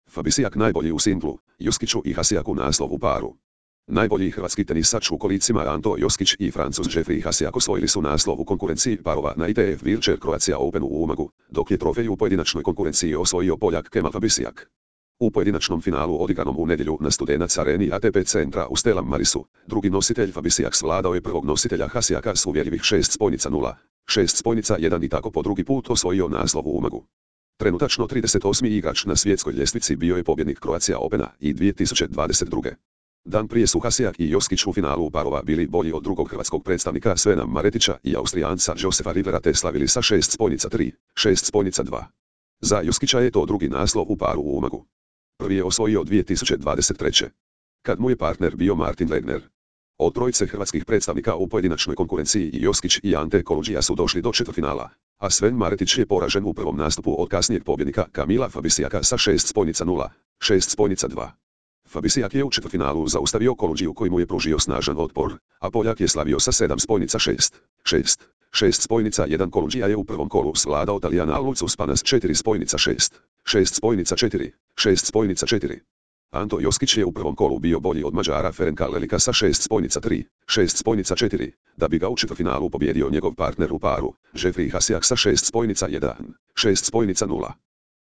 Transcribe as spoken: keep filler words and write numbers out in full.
Fabisijak najbolji u singlu, Juskiću i Hasijak u naslov u paru. Najbolji hrvatski tenisač u kolicima Anto Joskić i Francuz Jeffrey Hasijak osvojili su naslov u konkurenciji parova na I T F Wheelchair Croatia Openu u Umagu, dok je trofej u pojedinačnoj konkurenciji osvojio Poljak Kemal Fabisijak. U pojedinačnom finalu odigranom u nedjelju na Studenac areni A T P centra u Stella Marisu, drugi nositelj Fabisijak svladao je prvog nositelja Hasijaka s uvjerljivih šest spojnica nula, šest spojnica jedan i tako po drugi put osvojio naslov u Umagu. Trenutačno trideset osmi igrač na svjetskoj ljestvici bio je pobjednik Croatia Opena i dvije tisuće dvadeset druge. Dan prije su Hasijak i Joskić u finalu parova bili bolji od drugog hrvatskog predstavnika Svena Maretića i Austrijanca Josefa Rivera te slavili sa šest spojnica tri, šest spojnica dva. Za Joskića je to drugi naslov u paru u Umagu. Prvi je osvojio dvije tisuće dvadeset treće. kad mu je partner bio Martin Legner. Od trojice hrvatskih predstavnika u pojedinačnoj konkurenciji i Joskić i Ante Koludžija su došli do četvrtfinala, a Sven Maretić je poražen u prvom nastupu od kasnijeg pobjednika Kamila Fabisijaka sa šest spojnica nula, šest spojnica dva. Fabisijak je u četvrtfinalu zaustavio Koludžiju koji mu je pružio snažan otpor, a Poljak je slavio sa sedam spojnica šest, šest, šest spojnica jedan. Koludžija je u prvom kolu svladao Talijana Lucu Spana s četiri spojnica šest, šest spojnica četiri, šest spojnica četiri. Anto Joskić je u prvom kolu bio bolji od Mađara Ferenka Lelika sa šest spojnica tri, šest spojnica četiri, da bi ga u četvrtfinalu pobjedio njegov partner u paru, Jeffrey Hasijak sa šest spojnica jedan, šest spojnica nula.